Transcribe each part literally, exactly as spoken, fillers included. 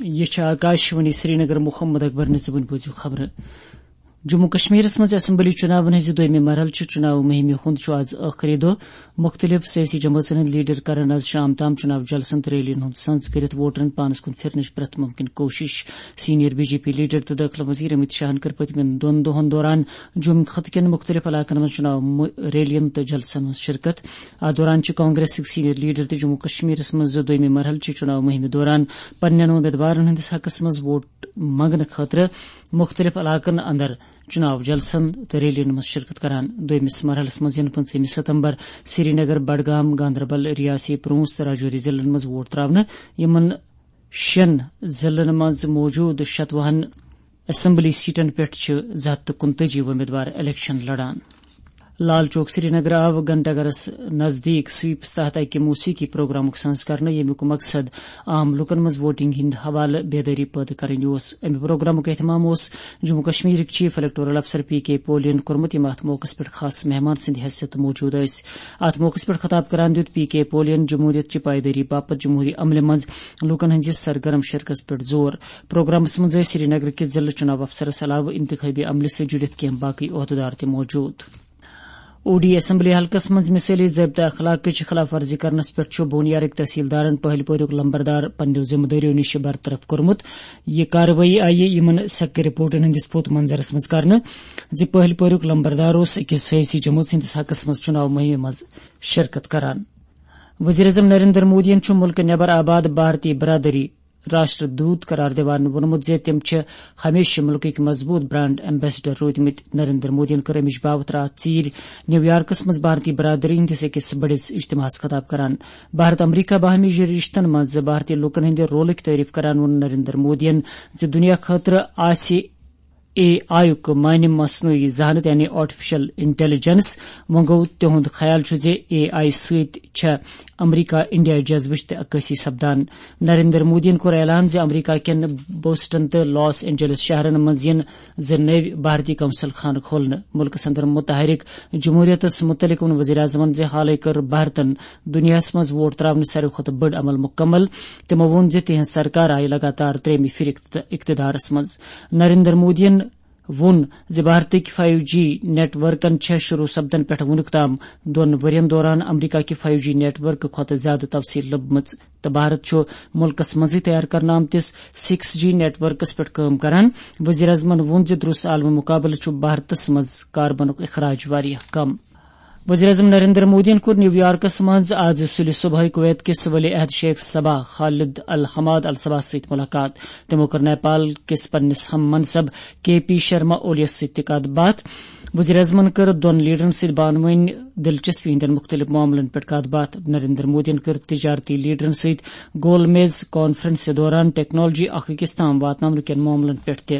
یہِ چھِ آکاشوانی سرینگر۔ محمد اکبر نِزوٕنۍ بوٗزِو خبرٕ۔ جموں کشمیرس منٛز اسمبلی چُناون ہٕنٛزِ دوٚیمہِ مرحلہٕ چہِ چُناو مُہِمہِ ہُنٛد چھُ آز ٲخری دۄہ۔ مُختٔلِف سیٲسی جمٲژن ہٕنٛدۍ لیڈر کرن آز شام تام چُناو جلسن تہٕ ریلین ہُنٛد سنز کٔرِتھ ووٹرن پانس کُن پھِرنٕچ پرٛٮ۪تھ مُمکِن کوٗشِش۔ Senior B J P leader تہٕ دٲخلہٕ وزیر امت شاہن کٔر پٔتمٮ۪ن دۄن دۄہن دوران جوٚم خطہٕ کٮ۪ن مُختٔلِف علاقن منٛز چُناو مُ-، ریلین تہٕ جلسن منٛز شرکت۔ اتھ دوران چھِ کانگریسٕکۍ سینئر لیڈر تہِ جموں کشمیرس منٛز دوٚیمہِ مرحلہٕ چہِ چُناو مُہِمہِ دوران پننٮ۪ن امیدوارن ہٕنٛدِس حقس منٛز ووٹ منٛگنہٕ خٲطرٕ مُختٔلِف علاقن اندر چُناو جلسن تہٕ ریلین منٛز شرکت کران۔ دوٚیمِس مرحلس منٛز یِن پٕنٛژٕہمہِ ستمبر سرینگر، بڈگام، گاندربل، ریاسی، پونچھ تہٕ راجوری ضلعن منٛز ووٹ تراونہٕ۔ یِمن شٮ۪ن ضلعن منٛز موجود شتوُہن اسمبلی سیٹن پٮ۪ٹھ چھِ زٕ ہتھ تہٕ کُنتٲجی وۄمیدوار الیکشن لڑان۔ لال چوک سرینگر آو گھنٹہ گرس نزدیک سویپس تحت اکہِ موسیقی پروگرامُک سنز کرنہٕ، ییٚمیُک مقصد عام لوٗکن منٛز ووٹنگ ہٕنٛدِ حوالہٕ بیدٲری پٲدٕ کرٕنۍ اوس۔ امہِ پروگرامُک اہتمام اوس جموں کشمیرٕکۍ چیف الیکٹورل افسر پی کے پولین کوٚرمُت، یِم اتھ موقعس پٮ۪ٹھ خاص مہمان سٕنٛدِ حیثیت موجود ٲسۍ۔ اتھ موقعس پٮ۪ٹھ خطاب کران دیُت پی کے پولین جمہوریت چہِ پایدٲری باپتھ جمہوری عملہِ منٛز لوٗکن ہٕنٛزِ سرگرم شرکتس پٮ۪ٹھ زور۔ پروگرامس منٛز ٲسۍ سرینگرٕکہِ ضلعہٕ چُناو افسرس علاوٕ انتخابی عملہِ سۭتۍ جُڑِتھ کینٛہہ باقٕے عہدٕدار تہِ موجود۔ او ڈی اسمبلی حلقس منٛز مثٲلی ضٲبطہٕ اخلاقٕچ خلاف ورزی کرنس پٮ۪ٹھ چھُ بونیارٕکۍ تحصیلدارن پہلۍ پوریُک لمبردار پننیو ذمہٕ دٲریو نِش برطرف کوٚرمُت۔ یہِ کاروٲیی آیہِ یِمن سکہِ رپورٹن ہٕنٛدِس پوٚت منظرس منٛز کرنہٕ زِ پہلۍ پوریُک لمبردار اوس أکِس سیٲسی جمٲژ ہٕنٛدِس حقس منٛز چُناو مُہِمہِ منٛز شرکت کران۔ وزیر اعظم نریندر مودیَن چھُ مُلکہٕ نٮ۪بر آباد بھارتی برادری راشٹر دوٗت قرار دِوان ووٚنمُت زِ تِم چھِ ہمیشہِ مُلکٕکۍ مضبوٗط برانڈ ایمبیسڈر روٗدمٕتۍ۔ نریندر مودیَن کٔر اَمِچ باوتھ راتھ ژیٖرۍ نیویارکس منٛز بھارتی برادری ہٕنٛدِس أکِس بٔڑِس اجتماعس خطاب کران۔ بھارت امریکہ باہمی رشتن منٛز بھارتی لوٗکن ہٕنٛدِ رولٕکۍ تعریف کران ووٚن نریندر مودیَن زِ دُنیا خٲطرٕ آسہِ اے آیُک معنی مصنوعی ذہانت یعنی آرٹیفیشل انٹیلیجنس۔ وۄنۍ گوٚو تِہُنٛد خیال چھُ زِ اے آی سۭتۍ چھےٚ امریکہ انڈیا جذبٕچ تہِ عکٲسی سپدان۔ نریندر مودیَن کوٚر اعلان زِ امریکہ کٮ۪ن بوسٹن تہٕ لاس اینجلس شہرن منٛز یِن زٕ نٔوۍ بھارتی کونسل خانہٕ کھولنہٕ۔ مُلکس اندر متحرک جمہوریتس مُتعلق ووٚن وزیر اعظمن زِ حالٕے کٔر بھارتن دُنیاہس منٛز ووٹ تراونٕچ ساروی کھۄتہٕ بٔڑ عمل مُکمل۔ تِمو ووٚن زِ تِہنٛز سرکار آیہِ لگاتار ترٛیٚیمہِ پھِرِ اقت-، اقتدارس منٛز۔ نریندر مودیَن ووٚن زِ بھارتٕکۍ فایو جی نیٹ ورکن چھےٚ شروع سپدن پٮ۪ٹھ وُنیُک تام دۄن ؤرین دوران امریکہ کہِ فایو جی نیٹ ورک کھۄتہٕ زیادٕ توسیع لٔبمٕژ تہٕ بھارت چھُ مُلکس منٛزٕے تیار کرنہٕ آمتِس سِکِس جی نیٹ ورکس پٮ۪ٹھ کٲم کران۔ وزیر اعظمن ووٚن زِ درست عالمی مقابلہٕ چھُ بھارتس منٛز کاربنُک اخراج واریاہ کم۔ وزیر اعظم نریندر مودیَن کوٚر نیویارکس منٛز آز سُلہِ صبحٲے کویت کِس ولی عہد شیخ صبا خالد الحماد الصبا سۭتۍ مُلاقات۔ تِمو کٔر نیپال کِس پننِس ہم منصب کے پی شرما اولیَس سۭتۍ تہِ کتھ باتھ۔ وزیر اعظمن کٔر دۄن لیڈرن سۭتۍ بانوٲنی دلچسپی ہٕنٛدٮ۪ن مُختٔلِف معاملن پٮ۪ٹھ کتھ باتھ۔ نریندر مودیَن کٔر تجارتی لیڈرن سۭتۍ گول میز کانفرنسہِ دوران ٹیکنالوجی اکھ أکِس تام واتناونہٕ کٮ۪ن معاملن پٮ۪ٹھ تہِ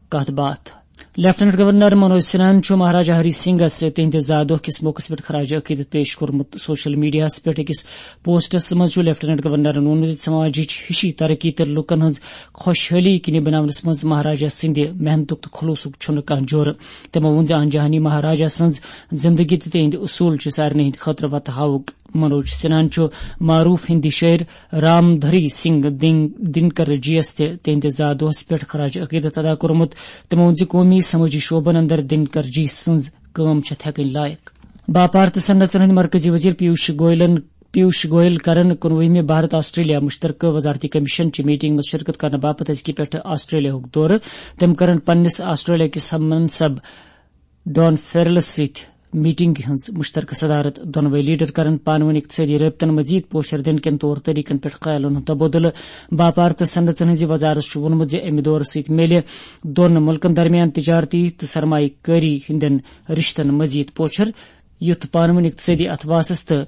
کتھ باتھ۔ لیفٹیننٹ گورنر منوج سنہاہن چھُ مہاراجا ہری سنگھس تِہنٛدِ زا دۄہ کِس موقعس پٮ۪ٹھ خراج عقیدت پیش کوٚرمُت۔ سوشل میڈیاہَس پٮ۪ٹھ أکِس پوسٹس منٛز چھُ لیفٹیننٹ گورنرن ووٚنمُت زِ سماجٕچ ہِشی ترقی تہٕ لوٗکن ہٕنٛز خۄشحٲلی یقینی بناونس منٛز مہاراجا سٕنٛدِ محنتُک تہٕ خلوصُک چھُنہٕ کانٛہہ جورٕ۔ تِمو ووٚن زِ آن جہانی مہاراجا سٕنٛز زندگی تہٕ تِہنٛدۍ اصوٗل چھِ سارنٕے ہٕنٛدِ خٲطرٕ وتہٕ ہاوُک۔ منوج سنہاہن چھُ معروف ہندی شٲعر رام دھری سنگھ دن-، دنکر جی یَس تہِ تِہنٛدِ زا دۄہس پٮ۪ٹھ خراج عقیدت ادا کوٚرمُت۔ تِمو ووٚن زِ قومی سمٲجی شعبن اندر دنکر جی سٕنٛز کٲم چھےٚ تھٮ۪کٕنۍ لایق۔ باپار تہٕ صنعژن ہٕنٛدۍ مرکزی وزیر پیوش گویلن، پیوش گویل کرن کُنوُہمہِ بھارت آسٹریلیا مشترکہ وزارتی کمیشن چہِ میٹنگ منٛز شرکت کرنہٕ باپتھ أزکہِ پٮ۪ٹھٕ آسٹریلیاہُک دورٕ۔ تِم کرن پننِس آسٹریلیا کِس ہم منصب ڈان فیرلس سۭتۍ میٹنگ ہٕنٛز مشترکہ صدارت۔ دۄنوَے لیڈر کرن پانہٕ ؤنۍ اقتصٲدی رٲبطن مزید پوچھر دِنہٕ کٮ۪ن طور طریقن پٮ۪ٹھ خیالن ہُنٛد تبادلہٕ۔ باپار تہٕ صنعژن ہٕنٛزِ وزارت چھُ ووٚنمُت زِ امہِ دورٕ سۭتۍ میلہِ دۄن مُلکن درمیان تجارتی تہٕ سرمایہ کٲری ہٕنٛدٮ۪ن رشتن مزید پوچھر، یُتھ پانہٕ ؤنۍ اقتصٲدی اتھواسس تہٕ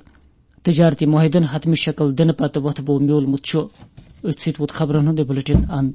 تجارتی معاہدن حتمی شکل دِنہٕ پتہٕ وۄتھٕ بو میوٗلمُت چھُ۔ أتھۍ سۭتۍ ووت خبرن ہُنٛد یہِ بلیٹن اند۔